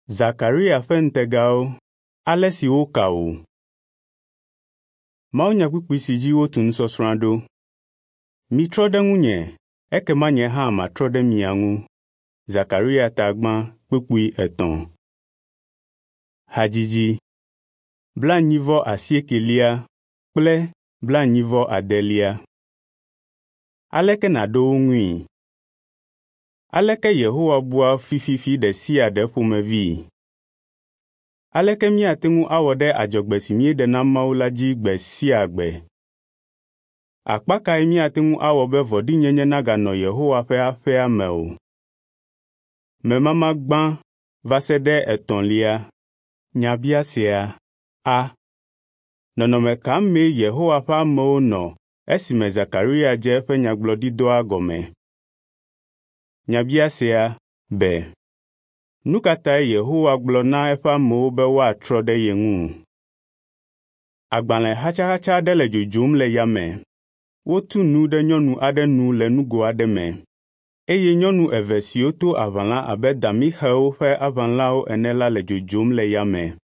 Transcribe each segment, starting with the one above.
Zakaria ƒe ŋutegawo, ale si woka wò. Mawunyakpukpui si dzi wotu nusɔsrɔ̃a ɖo. Mitrɔ ɖe ŋunye, ekema nye hã matrɔ ɖe mia ŋu. Zakaria ta gbã kpukpui 3. Hadzidzi 48 kple 49. Aleke nàɖo wo ŋui? Aleke Yehowa bua fififi ɖe sia ɖe ƒomevii? Aleke míate ŋu awɔ ɖe adzɔgbe si míeɖe na Mawu la dzi gbe sia gbe? Akpa kae míate ŋu awɔ be vɔ̃ɖinyenye naganɔ Yehowa ƒe aƒea me o? Memama gbã va se ɖe etɔ̃lia. Nyabiasea a. Nɔnɔme ka mee Yehowa ƒe amewo nɔ esime Zakaria dze eƒe nyagblɔɖidɔa gɔme? Nyabiasea b. Nu ka tae Yehowa gblɔ na eƒe amewo be woatrɔ ɖe ye ŋu? Agbalẽ xatsaxatsa aɖe le dzodzom le yame. Wotu nu ɖe nyɔnu aɖe nu le nugo aɖe me eye nyɔnu eve siwo to aʋalã abe damixewo ƒe aʋalãwo ene la le dzodzom le yame.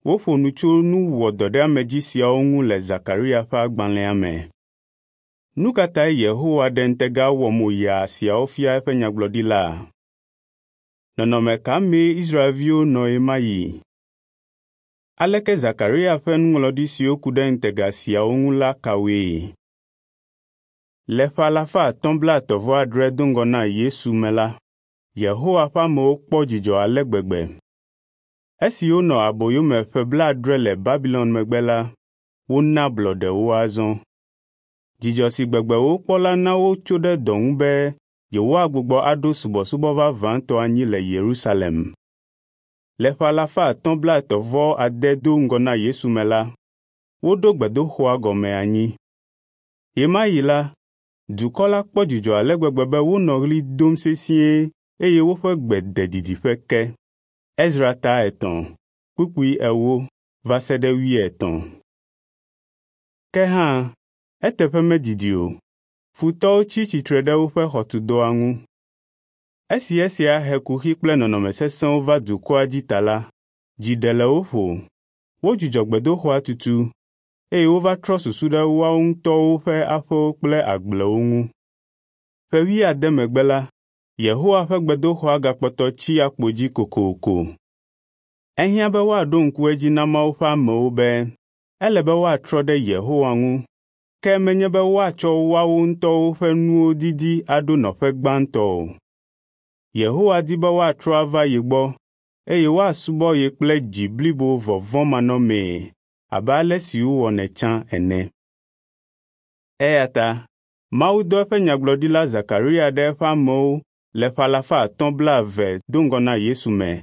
Woƒo nu tso nu wɔdɔɖeamedzi siawo ŋu le Zakaria ƒe agbalẽa me. Nu ka tae Yehowa ɖe ŋutega wɔmoyaa siawo fia eƒe nyagblɔɖila? Nɔnɔme ka mee Israelviwo nɔ ɣemaɣi? Aleke Zakaria ƒe nuŋlɔɖi siwo ku ɖe ŋutega siawo ŋu la ka woe? Le ƒe 538 do ŋgɔ na Yesu me la, Yehowa ƒe amewo kpɔ dzidzɔ ale gbegbe. Esi wonɔ aboyo me ƒe 70 le Babilon megbe la, wona ablɔɖe wo azɔ. Dzidzɔ si gbegbe wokpɔ la na wotso ɖe dɔ ŋu be yewoagbugbɔ aɖo subɔsubɔ vavãtɔ anyi le Yerusalem. Le ƒe 538 do ŋgɔ na Yesu me la, woɖo gbedoxɔa gɔme anyi. Ɣemaɣi la, dukɔ la kpɔ dzidzɔ ale gbegbe be wonɔ ɣli dom sesĩe eye woƒe gbe de didiƒe ke. Ezra ta 3, kpukpui 4 va se ɖe 80. Ke hã, eteƒe medidi o, futɔwo tsi tsitre ɖe woƒe xɔtudɔa ŋu. Esi esia he kuxi kple nɔnɔme sesẽwo va dukɔa dzi ta la, dzi ɖe le wo ƒo. Wodzudzɔ gbedoxɔa tutu eye wova trɔ susu ɖe woawo ŋutɔwo ƒe aƒewo kple agblewo ŋu. Ƒe 70 megbe la, Yehowa ƒe gbedoxɔa gakpɔtɔ tsi akpo dzi kokoko. Ehiã be woaɖo ŋku edzi na Mawu ƒe amewo be ele be woatrɔ ɖe Yehowa ŋu, ke menye be woatsɔ woawo ŋutɔwo ƒe nuwo didi aɖo nɔƒe gbãtɔ o. Yehowa di be woatrɔ ava ye gbɔ eye woasubɔ ye kple dzi blibo vɔvɔ̃manɔmee abe ale si wowɔnɛ tsã ene. Eya ta Mawu dɔ eƒe nyagblɔɖila Zakaria ɖe eƒe amewo le ƒe 520 do ŋgɔ na Yesu me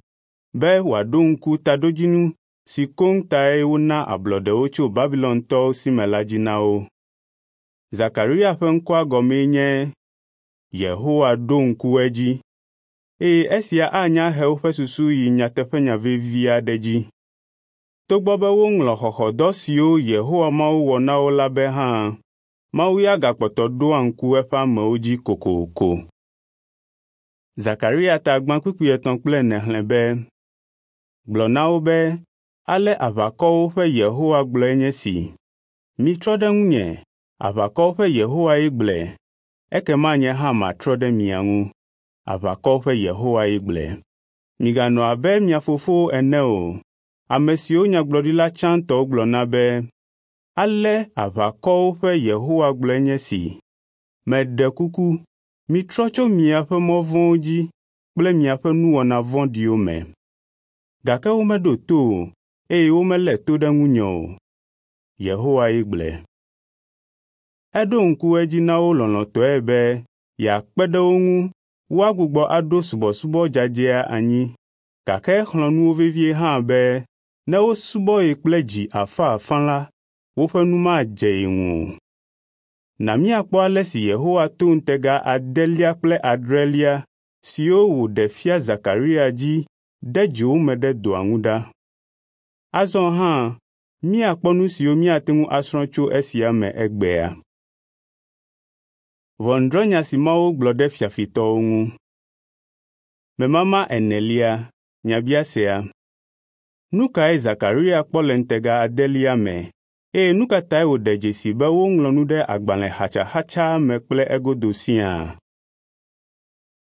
be wòaɖo ŋku taɖodzinu si koŋ tae wona ablɔɖe wo tso Babilontɔwo si me la dzi na wo. Zakaria ƒe ŋkɔa gɔmee nye Yehowa ɖo ŋku edzi, eye esia anya he woƒe susu yi nyateƒenya vevi aɖe dzi. Togbɔ be woŋlɔ xɔxɔdɔ siwo Yehowa Mawu wɔ na wo la be hã, Mawu ya gakpɔtɔ ɖoa ŋku eƒe amewo dzi kokoko. Zakaria ta gbã kpukpui 3 kple 4 xlẽ be, Gblɔ na wo be, ale aʋakɔwo ƒe Yehowa gblɔe nye si. Mitrɔ ɖe ŋunye, aʋakɔwo ƒe Yehowae gblɔe, ekema nye hã matrɔ ɖe mia ŋu. Aʋakɔwo ƒe Yehowae gblɔe. Miganɔ abe mia fofowo ene o, ame siwo nyagblɔɖila tsãtɔwo gblɔ na be, ale aʋakɔwo ƒe Yehowa gblɔe nye si. Meɖe kuku, mitrɔ tso miaƒe mɔ vɔ̃wo dzi kple miaƒe nuwɔna vɔ̃ɖiwo me. Gake womeɖo to o, eye womelé to ɖe ŋunye o. Yehowae gblɔe. Eɖo ŋku edzi na wo lɔlɔ̃tɔe be yeakpe ɖe wo ŋu woagbugbɔ aɖo subɔsubɔ dzadzɛa anyi, gake exlɔ̃ nu wo vevie hã be ne wosubɔ ye kple dzi afãafã la, woƒe nu madze ye ŋu o. Na míakpɔ ale si Yehowa to ŋutega 8 kple 9 siwo wòɖe fia Zakaria dzi de dzo wo me ɖe dɔa ŋu ɖa. Azɔ hã míakpɔ nu siwo míate ŋu asrɔ̃ tso esia me egbea. Ʋɔnudrɔ̃nya si Mawu gblɔ ɖe fiafitɔwo ŋu. Memama 4. Nyabiasea. Nu kae Zekaria kpɔ le ŋutega adelia me eye nu ka tae wòɖe dzesi be woŋlɔ nu ɖe agbalẽ xatsaxatsa me kple egodo siaa?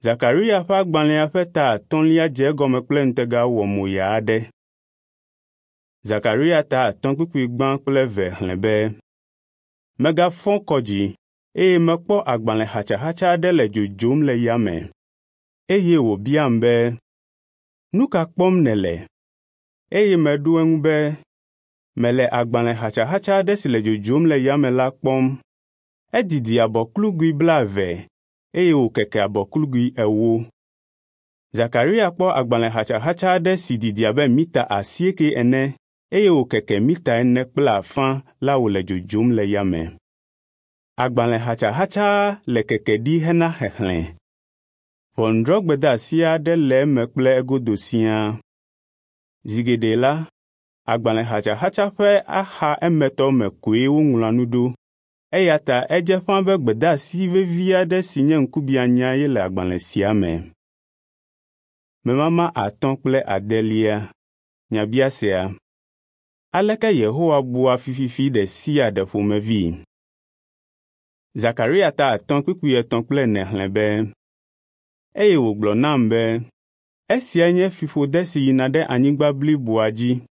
Zekaria ƒe agbalẽa ƒe ta atɔ̃lia dze egɔme kple ŋutega wɔmoya aɖe. Zekaria ta 5:1 kple 2 xlẽ be, Megafɔ kɔ dzi eye mekpɔ agbalẽ xatsaxatsa aɖe le dzodzom le yame. Eye wòbiam be, “Nu ka kpɔm nèle?” Eye meɖo eŋu be, “Mele agbalẽ xatsaxatsa aɖe si le dzodzom le yame la kpɔm. Edidi abɔklugui 20 eye wòkeke abɔklugui 40.” Zekaria kpɔ agbalẽ xatsaxatsa aɖe si didi abe mita 8 ene eye wòkeke mita 4.5 la wòle dzodzom le yame. Agbalẽ xatsaxatsa le keke ɖi hena xexlẽ. Ʋɔnudrɔ̃gbedeasi aɖe le eme kple egodo siaa. Zi geɖe la, agbalẽ xatsaxatsa ƒe axa emetɔ me koe woŋlɔa nu ɖo, eya ta edze ƒãa be gbedeasi vevi aɖe si nye ŋkubiãnya ye le agbalẽ sia me. Memama 5 kple 8. Nyabiasea. Aleke Yehowa bua fififi ɖe sia ɖe ƒomevii? Zekaria ta 5:3 kple 4 xlẽ be, eye wògblɔ nam be, esiae nye fiƒode si yina ɖe anyigba bliboa dzi,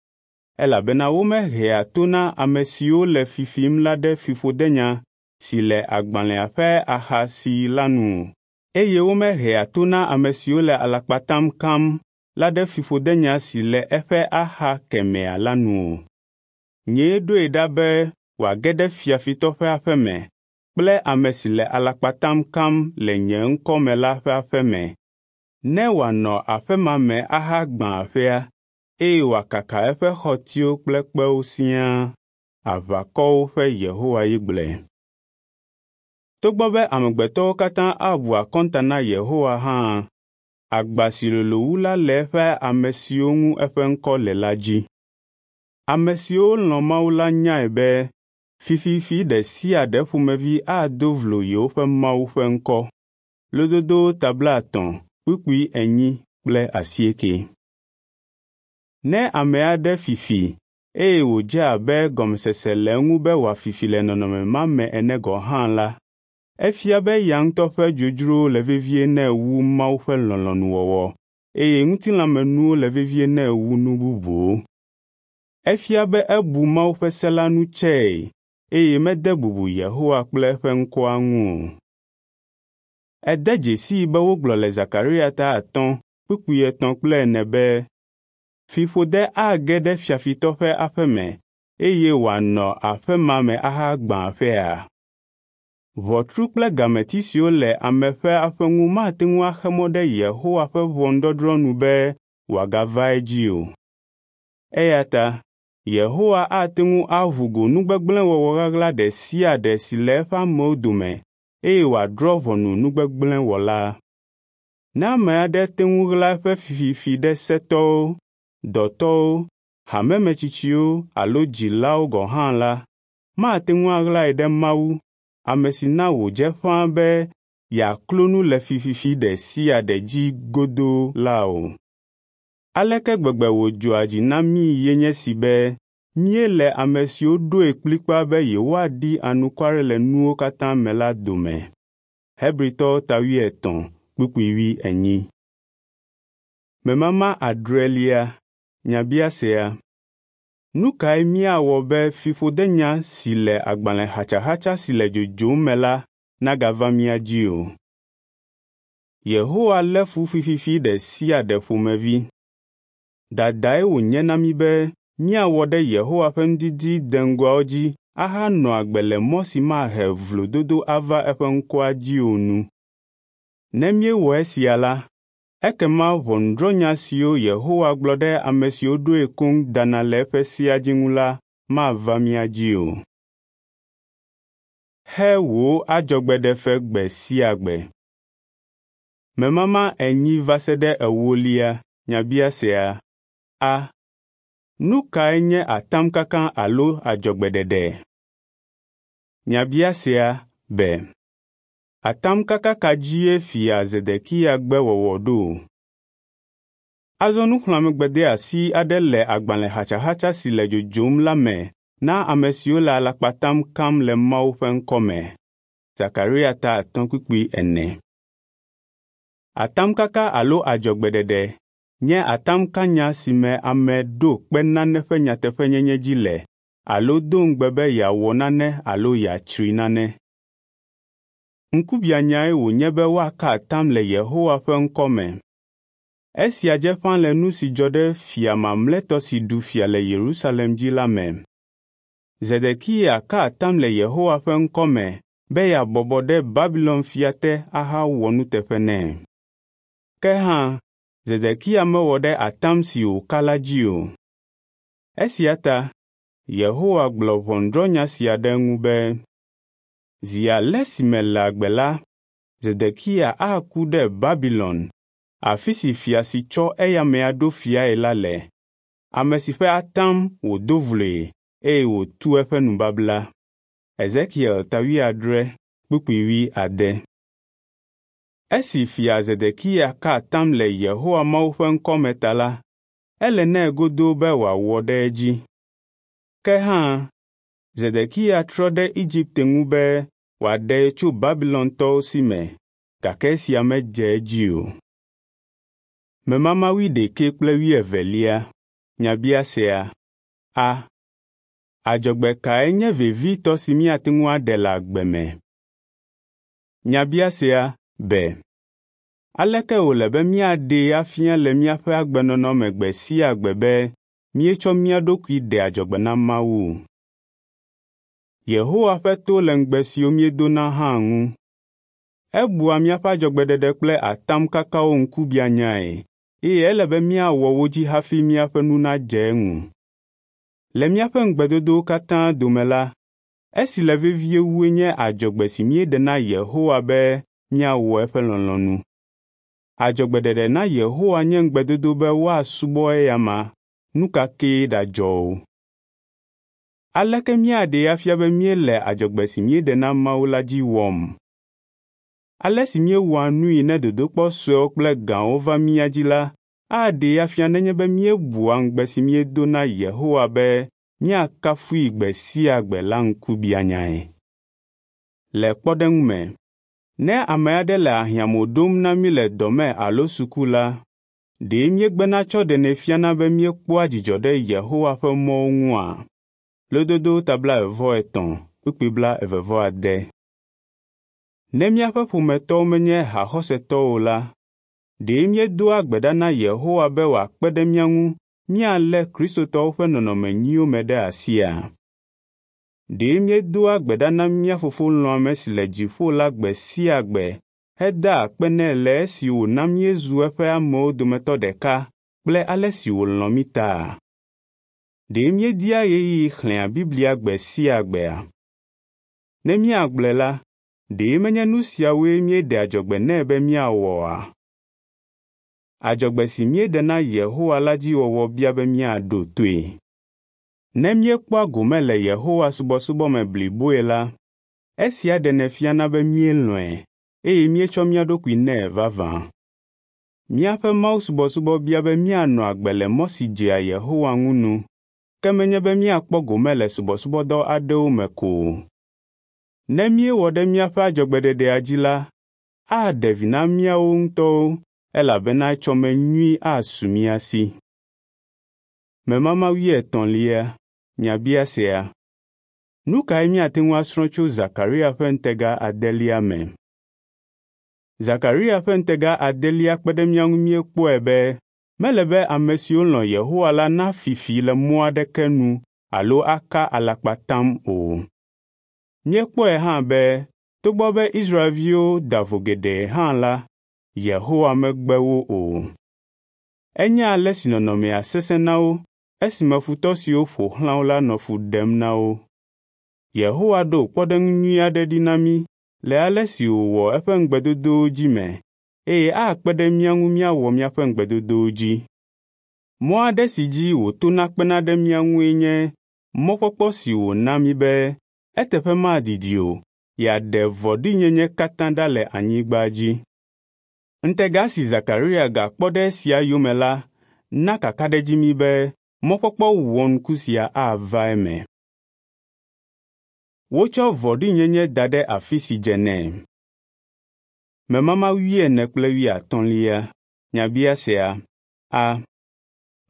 elabena womehea to na ame siwo le fifim la ɖe fiƒodenya si le agbalẽa ƒe axa si la nu o, eye womehea to na ame siwo le alakpatam kam la ɖe fiƒodenya si le eƒe axa kemɛa la nu o. Nyee ɖoe ɖa be wòage ɖe fiafitɔ ƒe aƒe me kple ame si le alakpatam kam le nye ŋkɔ me la ƒe aƒe me, ne wòanɔ aƒe ma me ahagbã aƒea, eye wòakaka eƒe xɔtiwo kple kpewo siaa. Aʋakɔwo ƒe Yehowa ye gblɔe. Togbɔ be amegbetɔwo katã abu akɔnta na Yehowa hã, agba si lolo wu la le eƒe ame siwo ŋu eƒe ŋkɔ le la dzi. Ame siwo lɔ̃ Mawu la nyae be fififi ɖe sia ɖe ƒomevi ado vlo yewoƒe Mawu ƒe ŋkɔ. Lododowo ta 3:48. Ne ame aɖe fifi eye wòdze abe gɔmesese le eŋu be wòafifi le nɔnɔme ma me ene gɔ̃ hã la, efia be eya ŋutɔ ƒe dzodzrowo le vevie nɛ wu Mawu ƒe lɔlɔ̃nuwɔwɔ eye ŋutilãmenuwo le vevie nɛ wu nu bubuwo. Efia be ebu Mawu ƒe se la nu tsɛe eye mede bubu Yehowa kple eƒe ŋkɔa ŋu o. Ede dzesii be wogblɔ le Zekaria ta 5:3 kple 4 be fiƒode age ɖe fiafitɔ ƒe aƒe me eye wòanɔ aƒe ma me ahagbã aƒea. Ʋɔtru kple gameti siwo le ame ƒe aƒe ŋu mate ŋu axe mɔ ɖe Yehowa ƒe ʋɔnudɔdrɔ̃ nu be wòagava edzi o. Eya ta Yehowa ate ŋu aʋu go nugbegblẽwɔwɔ ɣaɣla ɖe sia ɖe si le eƒe amewo dome eye wòadrɔ̃ ʋɔnu nugbegblẽwɔla. Ne ame aɖe te ŋu ɣla eƒe fififi ɖe setɔwo, dɔtɔwo, hamemetsitsiwo alo dzilawo gɔ̃ hã la, mate ŋu aɣlae ɖe Mawu, ame si na wòdze ƒãa be yeaklo nu le fififi ɖe sia ɖe dzi godoo la o. Aleke gbegbe wòdzɔa dzi na míi ye nye si be míele ame siwo ɖoe kplikpaa be yewoaɖi anukware le nuwo katã me la dome. Hebritɔwo ta 70:40. Memama 6. Nyabiasea. Nu kae míawɔ be fiƒodenya si le agbalẽ xatsaxatsa si le dzodzom me la nagava mía dzi o? Yehowa lé fu fififi ɖe sia ɖe ƒomevi. Dadae wònye na mí be míawɔ ɖe Yehowa ƒe nudidi deŋgɔawo dzi ahanɔ agbe le mɔ si mahe vlododo ava eƒe ŋkɔa dzi o nu. Ne míewɔ esia la, ekema ʋɔnudrɔ̃nya siwo Yehowa gblɔ ɖe ame siwo ɖoe koŋ dana le eƒe sea dzi ŋu la mava mía dzi o. Xe wò adzɔgbeɖefe gbe sia gbe. Memama 4 va se ɖe 4. Nyabiasea. A. Nu kae nye atamkaka alo adzɔgbeɖeɖe? Nyabiasea be. Atamkaka ka dzie fia Zedekia gbe wɔwɔ ɖo? Azɔ nuxlɔ̃amegbedeasi aɖe le agbalẽ xatsaxatsa si le dzodzom la me na ame siwo le alakpatam kam le Mawu ƒe ŋkɔ me. Zakaria ta 5:4. Atamkaka alo adzɔgbeɖeɖe nye atamkanya si me ame ɖo kpe nane ƒe nyateƒenyenye dzi le alo do ŋugbe be yeawɔ nane alo yeatsri nane. Ŋkubiãnyae wònye be woaka atam le Yehowa ƒe ŋkɔ me. Esia dze ƒãa le nu si dzɔ ɖe fia mamlɛtɔ si ɖu fia le Yerusalem dzi la me. Zedekiya ka atam le Yehowa ƒe ŋkɔ me be yeabɔbɔ ɖe Babilon fia te ahawɔ nuteƒe nɛ. Ke hã, Zedekiya mewɔ ɖe atam si wòka la dzi o. Esia ta Yehowa gblɔ ʋɔnudrɔ̃nya sia ɖe eŋu be, “Zi ale si mele agbe la, Zedekiya aku ɖe Babilon, afi si fia si tsɔ eya amea ɖo fiae la le, ame si ƒe atam wòdo vloe eye wòtu eƒe nubabla.” Ezekiel ta 70:8. Esi fia Zedekiya ka atam le Yehowa Mawu ƒe ŋkɔ me ta la, ele nɛ godoo be wòawɔ ɖe edzi. Ke hã, Zedekiya trɔ ɖe Egipte ŋu be wòaɖee tso Babilontɔwo si me, gake esia medze edzi o. Memama wuiɖekɛ kple wuievelia. Nyabiasea. A. Adzɔgbe kae nye vevitɔ si míate ŋu aɖe le agbe me? Nyabiasea be, aleke wòle be míaɖee afia le míaƒe agbenɔnɔ me gbe sia gbe be míetsɔ mía ɖokui ɖe adzɔgbe na Mawu? Yehowa ƒe to le ŋugbe siwo míedona hã ŋu. Ebua míaƒe adzɔgbeɖeɖe kple atamkakawo ŋkubiãnyae eye ele be míawɔ wo dzi hafi míaƒe nu nadze eŋu. Le míaƒe ŋugbedodowo katã dome la, esi le vevie wue nye adzɔgbe si míeɖe na Yehowa be míawɔ eƒe lɔlɔ̃nu. Adzɔgbeɖeɖe na Yehowa nye ŋugbedodo be woasubɔ eyama, nu ka kee ɖadzɔ o. Aleke míaɖee afia be míele adzɔgbe si míeɖe na Mawu la dzi wɔm? Ale si míewɔa nui ne dodokpɔ suewo kple gãwo va mía dzi la aɖee afia nenye be míebua ŋugbe si míedo na Yehowa be míakafui gbe sia gbe la ŋkubiãnyae. Le kpɔɖeŋu me, ne ame aɖe le ahiãmo ɖom na mí le dɔ me alo suku la, ɖe míegbena tsɔ ɖenɛ fiana be míekpɔa dzidzɔ ɖe Yehowa ƒe mɔwo ŋua? Lododo ta 23:28. Ne míaƒe ƒometɔwo menye haxɔsetɔwo o la, ɖe míedoa gbe ɖa na Yehowa be wòakpe ɖe mía ŋu míalé Kristotɔwo ƒe nɔnɔme nyuiwo me ɖe asia? Ɖe míedoa gbe ɖa na mía Fofo lɔ̃ame si le dziƒo la gbe sia gbe hedaa akpe nɛ le esi wòna míezu eƒe amewo dometɔ ɖeka kple ale si wòlɔ̃ mí ta? Ɖe míedia ɣeyiɣi xlẽa Biblia gbe sia gbea? Ne míagblɔe la, ɖe menye nu siawoe míeɖe adzɔgbe nɛ be míawɔ oa? Adzɔgbe si míeɖe na Yehowa la dzi wɔwɔ bia be míaɖo toe. Ne míekpɔa gome le Yehowa subɔsubɔ me bliboe la, esia ɖenɛ fiana be míelɔ̃e eye míetsɔ mía ɖokui nɛ vavã. Míaƒe mawusubɔsubɔ bia be míanɔ agbe le mɔ si dzea Yehowa ŋu nu, ke menye be míakpɔ gome le subɔsubɔdɔ aɖewo me ko o. Ne míewɔ ɖe míaƒe adzɔgbeɖeɖea dzi la, aɖe vi na míawo ŋutɔwo elabena etsɔme nyui asu mía si. Memama wuietɔ̃lia. Nyabiasea. Nu kae míate ŋu asrɔ̃ tso Zakaria ƒe ŋutega adelia me? Zakaria ƒe ŋutega adelia kpe ɖe mía ŋu míekpɔe be mele be ame siwo lɔ̃ Yehowa la nafi fi le mɔ aɖeke nu alo aka alakpatam o. Míekpɔe hã be togbɔ be Israelviwo da vo geɖe hã la, Yehowa megbe wo o. Enya ale si nɔnɔmea sesẽ na wo esime futɔ siwo ƒo xlã wo la nɔ fu ɖem na wo. Yehowa ɖo kpɔɖeŋu nyui aɖe ɖi na mí le ale si wòwɔ eƒe ŋugbedodowo dzi me eye akpe ɖe mía ŋu míawɔ míaƒe ŋugbedodowo dzi. Mɔ aɖe si dzi wòtona kpena ɖe mía ŋue nye mɔkpɔkpɔ si wòna mí be eteƒe madidi o yeaɖe vɔ̃ɖinyenye katã ɖa le anyigba dzi. Ŋutega si Zakaria gakpɔ ɖe esia yome la na kakaɖedzi mí be mɔkpɔkpɔ wɔnuku sia ava eme. Wotsɔ vɔ̃ɖinyenye da ɖe afi si dze nɛ. Memama wuiene kple wuiatɔ̃lia. Nyabiasea a.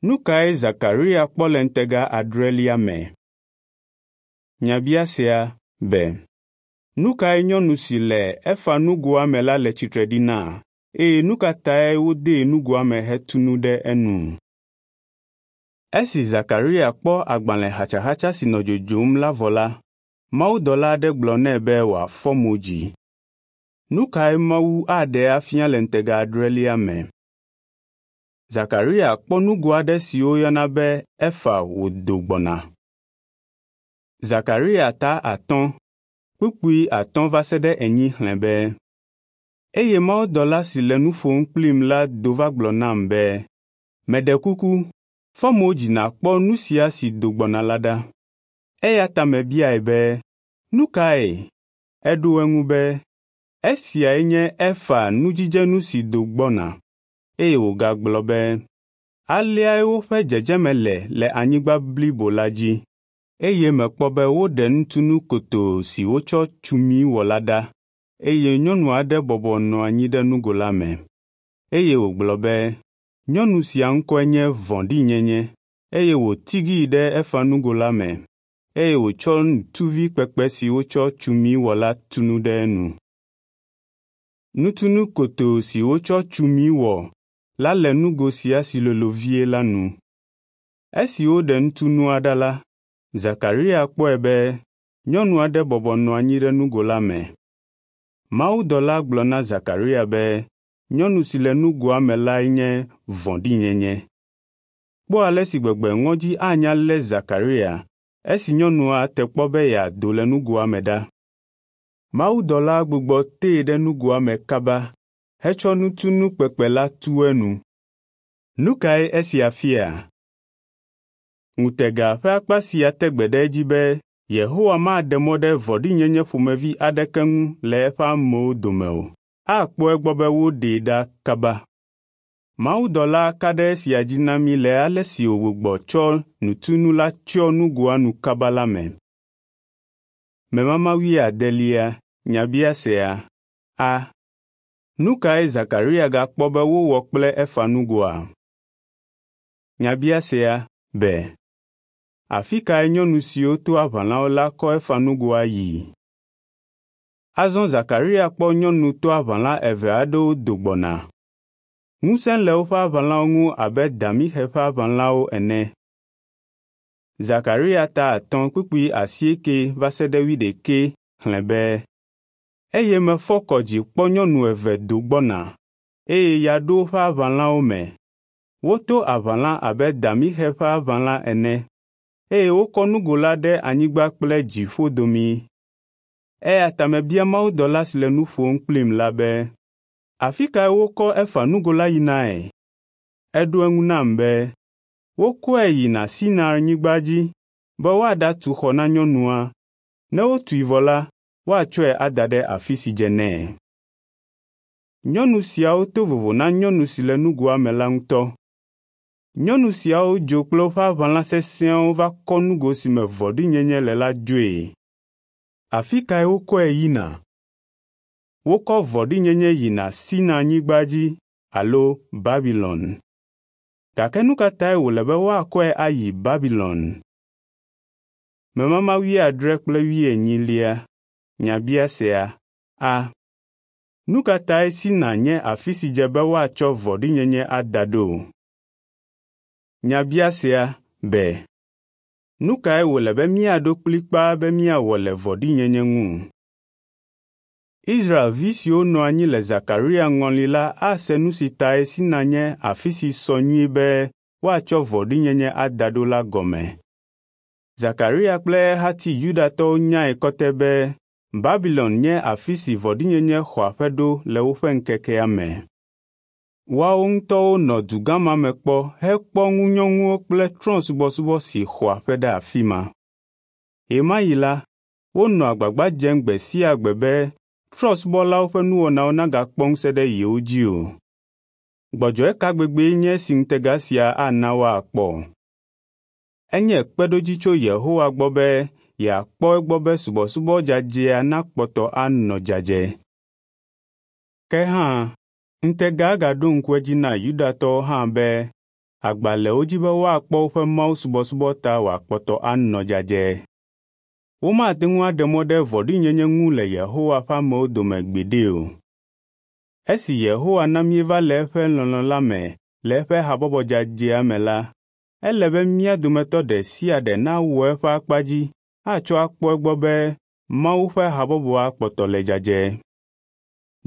Nu kae Zakaria kpɔ le ŋutega adrelia me? Nyabiasea b. Nu kae nyɔnu si le efa nugoa me la le tsitre ɖi na eye nu ka tae wodee nugoa me hetu nu ɖe enu? Esi Zakaria kpɔ agbalẽ xatsaxatsa si nɔ dzodzom la vɔ la, mawudɔla aɖe gblɔ nɛ be wòafɔ mo dzi. Nu kae Mawu aɖe afia le ŋutega adrelia me? Zakaria kpɔ nugo aɖe si woyɔna be efa wòdo gbɔna. Zakaria ta 5, kpukpui 5 va se ɖe 4 xlẽ be, eye mawudɔla si le nu ƒom kplim la do va gblɔ nam be, meɖe kuku, fɔ mo dzi nàkpɔ nu sia si do gbɔna la ɖa. Eya ta mebiae be, nu kae? Eɖo eŋu be, esiae nye efa nudzidzenu si do gbɔna. Eye wògagblɔ be, aleae woƒe dzedzeme le le anyigba blibo la dzi. Eye mekpɔ be woɖe nutunu kotoo si wotsɔ tsumi wɔ la ɖa, eye nyɔnu aɖe bɔbɔ nɔ anyi ɖe nugo la me. Eye wògblɔ be, nyɔnu sia ŋkɔe nye Vɔ̃ɖinyenye, eye wòtigii ɖe efa nugo la me, eye wòtsɔ nutuvi kpekpe si wotsɔ tsumi wɔ la tu nu ɖe enu. Nutunu kotoo si wotsɔ tsumi wɔ la le nugo sia si lolo vie la nu. Esi woɖe nutunua ɖa la, Zakaria kpɔe be nyɔnu aɖe bɔbɔ nɔ anyi ɖe nugo la me. Mawudɔla gblɔ na Zakaria be nyɔnu si le nugoa me lae nye Vɔ̃ɖinyenye. Kpɔ ale si gbegbe ŋɔdzi anya lé Zakaria esi nyɔnua te kpɔ be yeado le nugoa me ɖa. Mawudɔla gbugbɔ tee ɖe nugoa me kaba hetsɔ nutunu kpekpe la tu enu. Nu kae esia fia? Ŋutega ƒe akpa sia te gbe ɖe edzi be Yehowa maɖe mɔ ɖe vɔ̃ɖinyenye ƒomevi aɖeke ŋu le eƒe amewo dome o. Akpɔ egbɔ be woɖee ɖa kaba. Mawudɔla ka ɖe esia dzi na mí le ale si wògbugbɔ tsɔ nutunu la tsyɔ nugoa nu kaba la me. Memama wuiadelia. Nyabiasea a. Nu kae Zakaria gakpɔ be wowɔ kple efa nugoa? Nyabiasea b. Afi kae nyɔnu siwo to aʋalawo la kɔ efa nugoa yii? Azɔ Zakaria kpɔ nyɔnu to aʋala eve aɖewo do gbɔna. Ŋusẽ le woƒe aʋalawo ŋu abe damixe ƒe aʋalawo ene. Zakaria ta 5 kpukpui 8 va se ɖe 11 xlẽ be, eye mefɔ kɔ dzi kpɔ nyɔnu eve do gbɔna, eye ya ɖo woƒe aʋalawo me. Woto aʋala abe damixe ƒe aʋala ene, eye wokɔ nugo la ɖe anyigba kple dziƒo domii. Eya ta mebia mawudɔla si le nu ƒom kplim la be, afi kae wokɔ efa nugo la yinae? Eɖo eŋu nam be, wokɔe yina Sinai-nyigba dzi be woaɖatu xɔ na nyɔnua. Ne wotui vɔ la, woatsɔe ada ɖe afi si dze nɛ. Nyɔnu siawo to vovo na nyɔnu si le nugoa me la ŋutɔ. Nyɔnu siawo dzo kple woƒe aʋala sesẽawo va kɔ nugo si me vɔ̃ɖinyenye le la dzoe. Afi kae wokɔe yina? Wokɔ vɔ̃ɖinyenye yina Sinai-nyigba dzi alo Babilon. Gake nu ka tae wòle be woakɔe ayi Babilon? Memama 74 kple 84. Nyabiasea a. Nu ka tae Sina nye afi si dze be woatsɔ vɔ̃ɖinyenye ada ɖo? Nyabiasea b. Nu kae wòle be míaɖo kplikpaa be míawɔ le vɔ̃ɖinyenye ŋu? Israelvi siwo nɔ anyi le Zakaria ŋɔli la ase nu si tae Sina nye afi si sɔ nyuie be woatsɔ vɔ̃ɖinyenye ada ɖo la gɔme. Zakaria kple ehati Yudatɔwo nyae kɔtɛ be Babilon nye afi si vɔ̃ɖinyenye xɔ aƒe ɖo le woƒe ŋkekea me. Woawo ŋutɔwo nɔ dugã ma me kpɔ hekpɔ ŋunyɔnuwo kple trɔ̃subɔsubɔ si xɔ aƒe ɖe afi ma. Ɣemaɣi la, wonɔ agbagba dzem gbe sia gbe be trɔ̃subɔlawo ƒe nuwɔnawo nagakpɔ ŋusẽ ɖe yewo dzi o. Gbɔdzɔe ka gbegbee nye esi ŋutega sia ana woakpɔ? Enye kpeɖodzi tso Yehowa gbɔ be yeakpɔ egbɔ be subɔsubɔ dzadzɛa nakpɔtɔ anɔ dzadzɛ. Ke hã, ŋutega gaɖo ŋku edzi na Yudatɔwo hã be agba le wo dzi be woakpɔ woƒe mawusubɔsubɔ ta wòakpɔtɔ anɔ dzadzɛ. Womate ŋu aɖe mɔ ɖe vɔ̃ɖinyenye ŋu le Yehowa ƒe amewo dome gbeɖe o. Esi Yehowa na míeva le eƒe lɔlɔ̃ la me le eƒe habɔbɔ dzadzɛa me la, ele be mía dometɔ ɖe sia ɖe nawɔ eƒe akpa dzi atsɔ akpɔ egbɔ be Mawu ƒe habɔbɔa kpɔtɔ le dzadzɛ.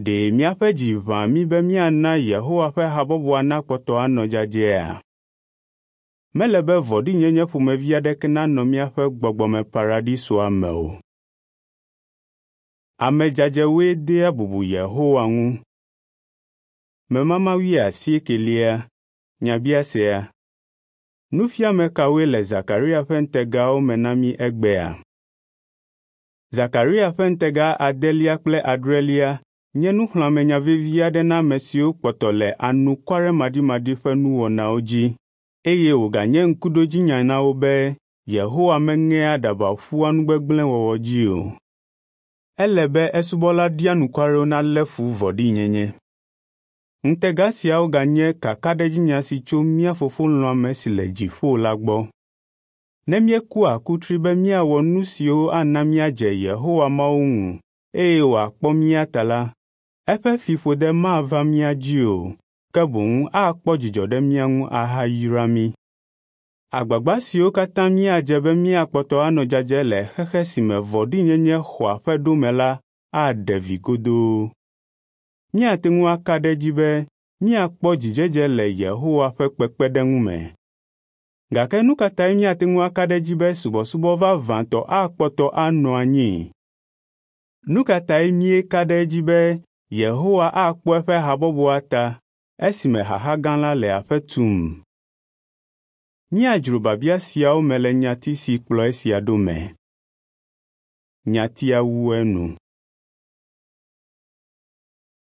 Ɖe míaƒe dzi ʋã mí be míana Yehowa ƒe habɔbɔa nakpɔtɔ anɔ dzadzɛa? Mele be vɔ̃ɖinyenye ƒomevi aɖeke nanɔ míaƒe gbɔgbɔmeparadisoa me o. Ame dzadzɛwoe dea bubu Yehowa ŋu. Memama wuiasiekelia nyabiasea. Nufiame kawoe le Zakaria ƒe ŋutegawo me na mí egbea? Zakaria ƒe ŋutega adelia kple adrelia nye nuxlɔ̃amenya vevi aɖe na ame siwo kpɔtɔ le anukwaremaɖimaɖi ƒe nuwɔnawo dzi eye wòganye ŋkuɖodzinya na wo be Yehowa meŋea aɖaba ƒua nu gbegblẽ wɔwɔ dzi o. Ele be esubɔla ɖianukwarewo nalé fu vɔ̃ɖinyenye. Ŋutega siawo ganye kakaɖedzinya si tso mía Fofo lɔ̃ame si le dziƒo la gbɔ. Ne míekua kutri be míawɔ nu siwo ana míadze Yehowa Mawu ŋu eye wòakpɔ mía ta la, eƒe fiƒode mava mía dzi o, ke boŋ akpɔ dzidzɔ ɖe mía ŋu ahayra mí. Agbagba siwo katã míadze be míakpɔtɔ anɔ dzadzɛ le xexe si me vɔ̃ɖinyenye xɔ aƒe ɖo me la aɖe vi godoo. Míate ŋu aka ɖe edzi be míakpɔ dzidzedze le Yehowa ƒe kpekpeɖeŋu me. Gake nu ka tae míate ŋu aka ɖe edzi be subɔsubɔ vavãtɔ akpɔtɔ anɔ anyi? Nu ka tae míeka ɖe edzi be Yehowa akpɔ eƒe habɔbɔa ta esime xaxa gã la le aƒe tum? Míadzro biabia siawo me le nyati si kplɔ esia ɖo me. Nyatia wu enu.